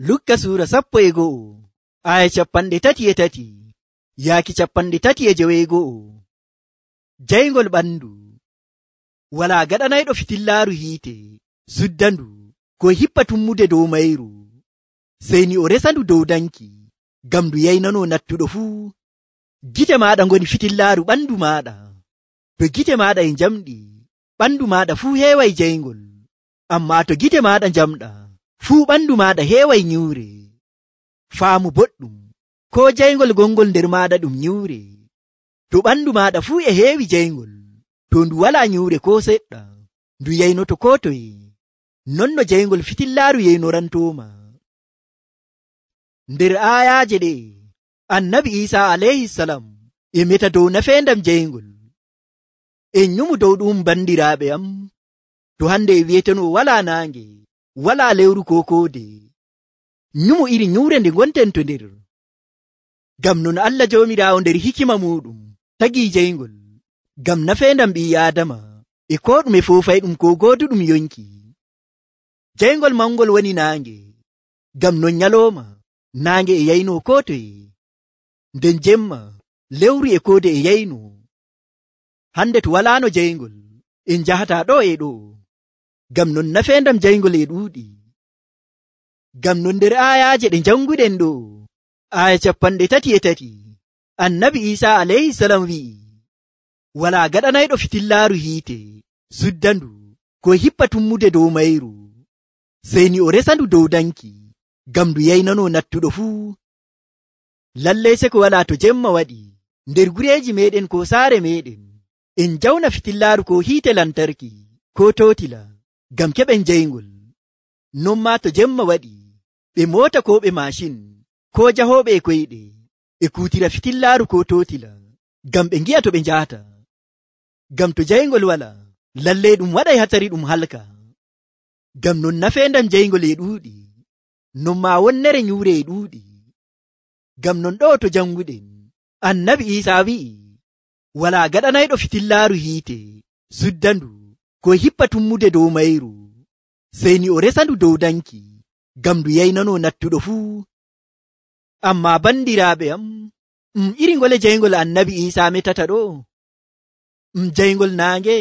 Lukka suura 11 aya 33 yaaki 32. Jayngol ɓandu. Walaa gaɗanayɗo fitillaaru hiite suddandu ko hippa tummude dow mayru, sey ni o resandu dow danki ngam ndu yaynano nattuɗo fuu. Gite maaɗa ngoni fitillaaru ɓandu maaɗa. To gite maaɗa e njamɗi, ɓandu maaɗa fuu heeway jayngol. Ammaa to gite maaɗa njamɗa, fuu ɓandu maaɗa heeway nyiwre. Faamu boɗɗum, ko jayngol gongol nder maaɗa ɗum nyiwre. To ɓandu maaɗa fuu e heewi jayngol, to ndu walaa nyiwre ko seɗɗa, ndu yaynoto ko toye. Non no jayngol fitillaaru yaynorantooma. Nder aayaaje ɗe, Annabi Iisaa alayhisalam e meta dow nafeendam jayngol. En nyumu dow ɗum bandiraaɓe am, to hande e wi'eteno walaa naange, walaa lewru ko koode. Nyumu iri nyiwre nde ngonten to nder. Ngam non Allah Joomiraawo nder hikima muɗum tagii jayngol, ngam nafeendam ɓii Aadama e ko ɗume foofay ɗum ko gooduɗum yonki. Jayngol mangol woni naange, ngam non nyalooma naange e yayno ko toye, nden jemma lewru e koode e yayno. Hande to walaano jayngol, en njahataa ɗo e ɗo, ngam non nafeendam jayngol e ɗuuɗi. Ngam non nder aayaaje ɗe janguɗen ɗo, aya 33, Annabi Iisaa alayhisalam wi'i, walaa gaɗanayɗo fitillaaru hiite suddandu ko hippa tummude dow mayru, sey ni o resandu dow danki ngam ndu yaynano nattuɗo fuu. Lallay seko walaa to jemma waɗi nder gureeji meɗen ko saare meɗen, en jawna fitillaaru ko hiite lantarki ko totila ngam keɓen jayngol. Non maa to jemma waɗi, ɓe moota ko ɓe mashin ko jahooɓe e koyɗe e kuutira fitillaaru ko totila ngam ɓe ngi'a to ɓe njahata. Ngam to jayngol wala, lallay ɗum waɗay hatsari ɗum halka. Ngam non nafeendam jayngol e ɗuuɗi, non maa wonnere nyiwre e ɗuuɗi. Ngam non ɗo to janguɗen, Annabi Iisaa wi'i, walaa gaɗanayɗo fitillaaru hiite suddandu ko hippa tummude dow mayru, sey ni o resandu dow danki ngam ndu yaynano nattuɗo fuu. Ammaa bandiraaɓe am, iri ngole jayngol Annabi Iisaa metata ɗo? Jayngol naange,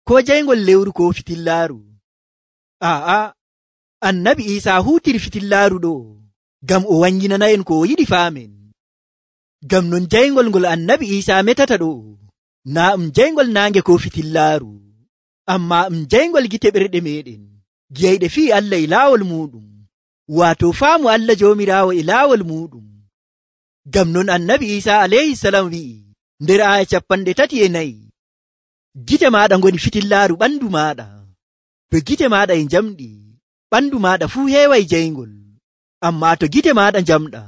ko jayngol lewru ko fitillaaru? Aa, Annabi Iisaa huutiri fitillaaru ɗo ngam o wanginana en ko o yiɗi faamen. Ngam non jayngol ngol Annabi Iisaa metata ɗo, naa jayngol naange ko fitillaaru, ammaa jayngol gite ɓerɗe meɗen, giyayɗe fii Allah e laawol muɗum, waato faamu Allah Joomiraawo e laawol muɗum. Ngam non Annabi Iisaa alayhisalam wi'i nder aya 34, gite maaɗa ngoni fitillaaru ɓandu maaɗa. To gite maaɗa e njamɗi, ɓandu maaɗa fuu heeway jayngol. Ammaa to gite maaɗa njamɗa,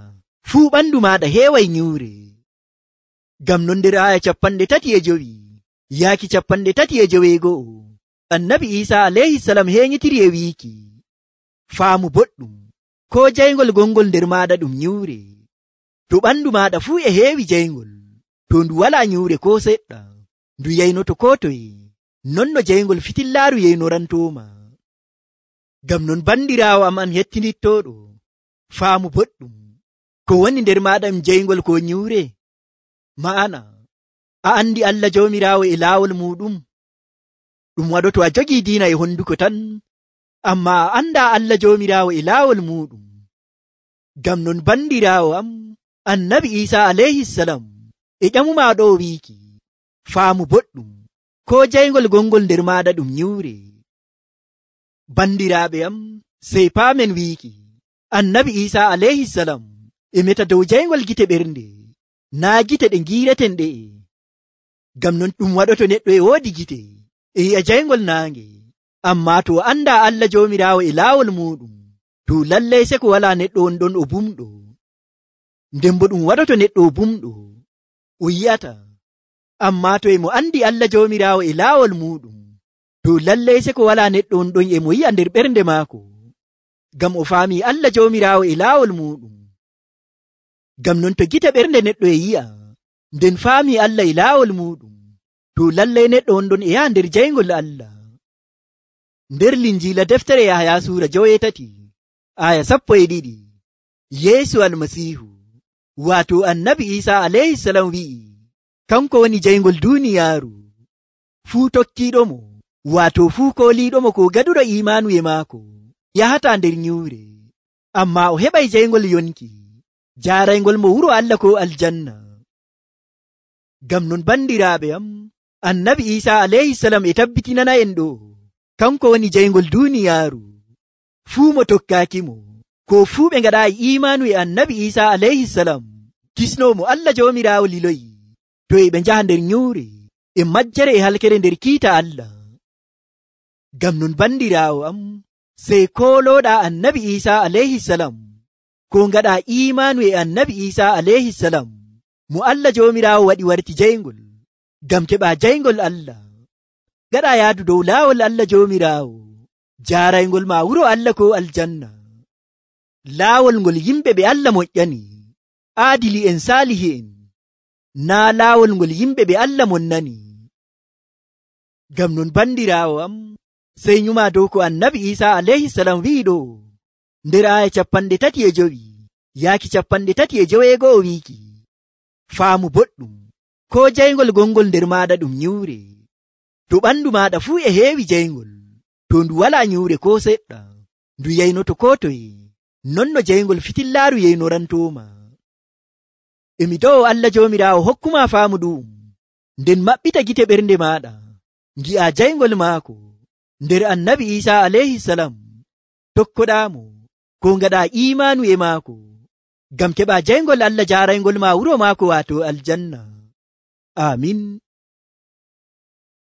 fuu ɓandu maaɗa heeway nyiwre. Ngam non nder aya 35 yaaki 36, Annabi Iisaa alayhisalam heeñitiri e wiiki, faamu boɗɗum, ko jayngol gongol nder maaɗa ɗum nyiwre. To ɓandu maaɗa fuu e heewi jayngol, to ndu walaa nyiwre ko seɗɗa, ndu yaynoto ko toye. Non no jayngol fitillaaru yaynorantooma. Ngam non bandiraawo am an hettinittooɗo, faamu boɗɗum, ko woni nder maaɗa jayngol ko nyiwre? Ma'ana, a andi Allah Joomiraawo e laawol muɗum? Ɗum waɗoto a jogii diina e honduko tan, ammaa a andaa Allah Joomiraawo e laawol muɗum. Ngam non bandiraawo am, Annabi Iisaa alayhisalam e ƴamumaa ɗo wiiki, faamu boɗɗum, ko jayngol gongol nder maaɗa ɗum nyiwre. Bandiraaɓe am, sey paamen wiiki, Annabi Iisaa alayhisalam e meta dow jayngol gite ɓernde, naa gite ɗe ngiireten ɗe'e. Ngam non ɗum waɗoto neɗɗo e woodi gite e yi'a jayngol naange, ammaa to andaa Allah Joomiraawo e laawol muɗum, to lallay seko walaa neɗɗo on ɗon o bumɗo. Nden bo ɗum waɗoto neɗɗo o bumɗo, o yi'ata. Ammaa to e mo andi Allah Joomiraawo e laawol muɗum, to lallay seko walaa neɗɗo on ɗon e mo yi'a nder ɓernde maako, ngam o faami Allah Joomiraawo e laawol muɗum. Ngam non to gite ɓernde neɗɗo e yi'a, nden faami Allah e laawol muɗum, to lallay neɗɗo on ɗon e yaha nder jayngol Allah. Nder Linjiila deftere Yahaya suura 7, aya 12 Yeesu almasiihu waato annabi Iisaa alayhisalam wi'i kanko woni jayngol duuniyaaru. Fuu tokkiiɗomo waato fuu kooliiɗomo ko gaɗuɗo imaanu e maako yahataa nder nyuure, ammaa o heɓay jayngol yonki jaaraygol mo wuro Allah ko aljanna. Ngam non bandiraaɓe am, annabi Iisaa alayhisalam e tabbitinana en ɗo kanko woni jayngol duuniyaaru. Fuu mo tokkaakimo ko fuu ɓe ngaɗaayi imaanu e annabi Iisaa alayhisalam kisnoomo Allah Joomiraawo liloyi to e ɓe njaha nder nyuure e majjere e halkere nder kiita Allah. Ngam non bandiraawo am, sey koolooɗaa annabi Iisaa alayhisalam ko ngaɗaa imaanu e annabi Iisaa alayhisalam mo Allah Joomiraawo waɗi warti jayngol, ngam keɓaa jayngol Allah. Gaɗaa yaadu dow laawol Allah Joomiraawo, jaaraygol ma wuro Allah ko aljanna. Laawol ngol yimɓe ɓe Allah moƴƴani, aadili en saalihi en, naa laawol ngol yimɓe ɓe Allah monnani. Ngam non bandiraawo am, sey nyuma dow ko annabi Iisaa alayhisalam wi'i ɗo nder aya 35 yaaki 35 wiiki faamu boɗɗum ko jayngol gongol nder maɗa ɗum nyuure. To ɓandu maɗa fuu e heewi jayngol, to ndu wala nyuure ko seɗɗa, ndu yaynoto ko toye, non no jayngol fitillaaru yaynorantoma. Emi dow Allah Joomiraawo hokkuma faamu ɗum, nden maɓɓita gite ɓernde maɗa ngi'a jayngol maako nder annabi Iisaa alayhisalam, tokkoɗaamo ko ngaɗa imaanu e maako, ngam keɓa jayngol Allah jaaraygol ma wuro maako waato aljanna. Amin.